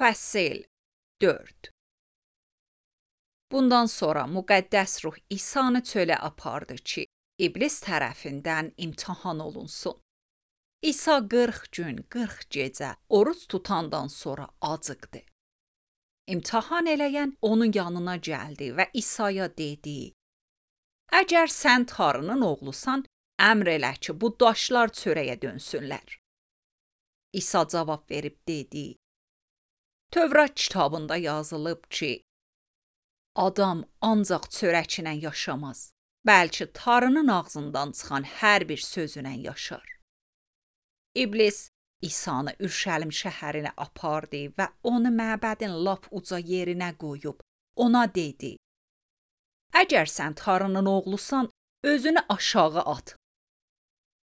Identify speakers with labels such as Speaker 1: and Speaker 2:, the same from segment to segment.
Speaker 1: Fəsil 4. Bundan sonra müqəddəs ruh İsanı çölə apardı ki, İblis tərəfindən imtahan olunsun. İsa 40 gün, 40 gecə oruç tutandan sonra acıqdı. İmtahan eləyən onun yanına gəldi və İsa'ya dedi: "Əgər sən Tanrının oğlusan, əmr elə ki, bu daşlar çörəyə dönsünlər." İsa cavab verib dedi: "Tövrat kitabında yazılıb ki, adam ancaq çörəklə yaşamaz, bəlkə Tanrının ağzından çıxan hər bir sözünə yaşar." İblis İsanı Ürşəlim şəhərinə apardı və onu məbədin lap uca yerinə qoyub ona dedi: "Əgər sən Tanrının oğlusan, özünü aşağı at.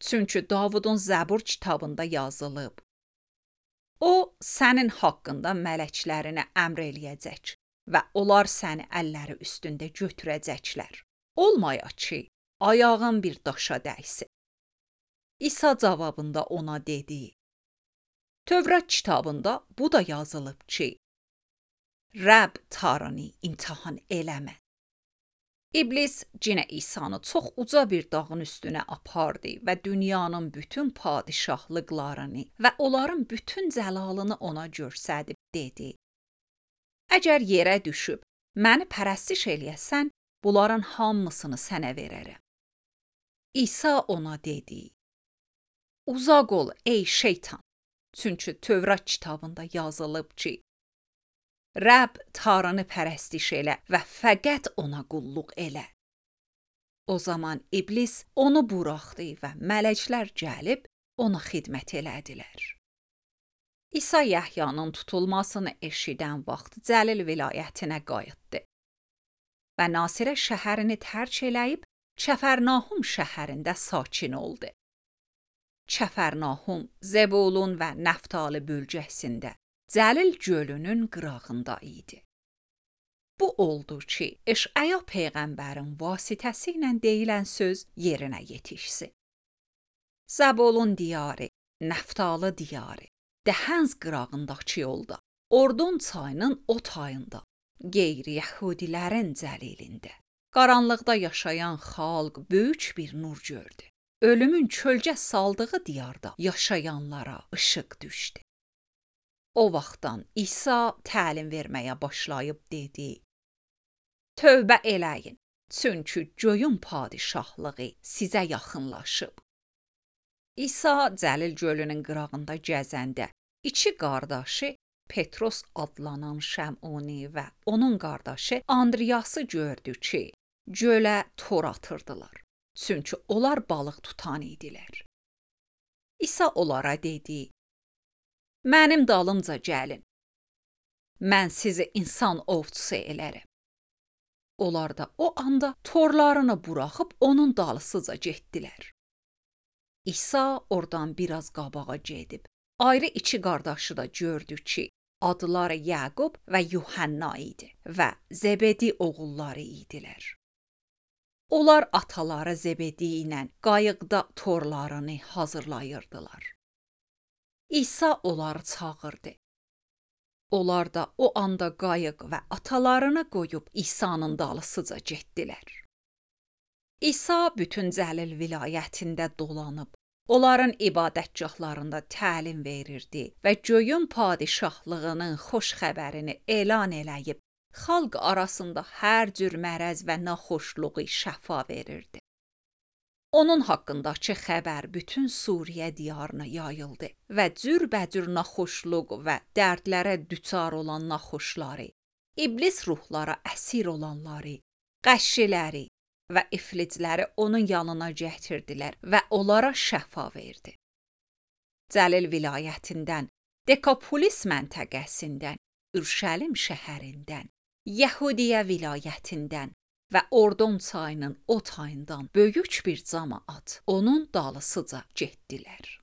Speaker 1: Çünki Davudun Zəbur kitabında yazılıb: O, sənin haqqında mələklərinə əmr eləyəcək və onlar səni əlləri üstündə götürəcəklər. Olmaya ki, ayağın bir daşa dəysin." İsa cavabında ona dedi: "Tövrat kitabında bu da yazılıb ki, Rəbb Tanrını imtahan eləmə." İblis yenə İsanı çox uca bir dağın üstünə apardı və dünyanın bütün padişahlıqlarını və onların bütün cəlalını ona göstərib dedi: "Əgər yerə düşüb məni pərəstiş eləyəsən, bunların hamısını sənə verərəm." İsa ona dedi: "Uzaq ol ey şeytan, çünki Tövrat kitabında yazılıb ki, Rəbb Tanrını pərəstiş elə və fəqət ona qulluq elə." O zaman İblis onu buraxdı və mələklər gəlib ona xidmət elədilər. İsa Yəhyanın tutulmasını eşidən vaxt Cəlil vilayətinə qayıtdı və Nasirə şəhərini tərk eləyib Kəfərnahum şəhərində sakin oldu. Kəfərnahum Zebulun və Nəftali bölgəsində Cəlil gölünün qırağında idi. Bu oldu ki, Eşaya peyğəmbərin vasitəsilə deyilən söz yerinə yetişsin. Zebulun diyarı, Nəftali diyarı, Dəhənz qırağındakı yolda, Ordon çayının o tayında, qeyri-yəhudilərin cəlilində, qaranlıqda yaşayan xalq böyük bir nur gördü. Ölümün kölgə saldığı diyarda yaşayanlara işıq düşdü. O vaxtdan İsa təlim verməyə başlayıb dedi: "Tövbə eləyin, çünki göyün padişahlığı sizə yaxınlaşıb." İsa Cəlil gölünün qırağında gəzəndə iki qardaşı Petros adlanan Şəmoni və onun qardaşı Andriyası gördü ki, gölə tor atırdılar, çünki onlar balıq tutan idilər. İsa onlara dedi: "Mənim dalımca gəlin. Mən sizi insan ovçusu elərəm." Onlar da o anda torlarını buraxıb onun dalısıca getdilər. İsa oradan biraz qabağa gedib, ayrı iki qardaşı da gördü ki, adları Yaqub və Yuhanna idi və Zebedi oğulları idilər. Onlar ataları Zebedi ilə qayıqda torlarını hazırlayırdılar. İsa onları çağırdı. Onlar da o anda qayıq və atalarını qoyub İsa'nın dalısıca getdilər. İsa bütün Cəlil vilayətində dolanıb, onların ibadətgahlarında təlim verirdi və göyün padişahlığının xoş xəbərini elan eləyib, xalq arasında hər cür mərəz və naxoşluğu şəfa verirdi. Onun haqqındakı xəbər bütün Suriyə diyarına yayıldı və cürbəcür naxoşluq və dərdlərə düçar olan naxoşları, iblis ruhlara əsir olanları, qəşşiləri və iflicləri onun yanına gətirdilər və onlara şəfa verdi. Cəlil vilayətindən, Dekapolis məntəqəsindən, Ürşəlim şəhərindən, Yəhudiyə vilayətindən və Ordon çayının o tayından böyük bir camaat onun dalısıca getdilər.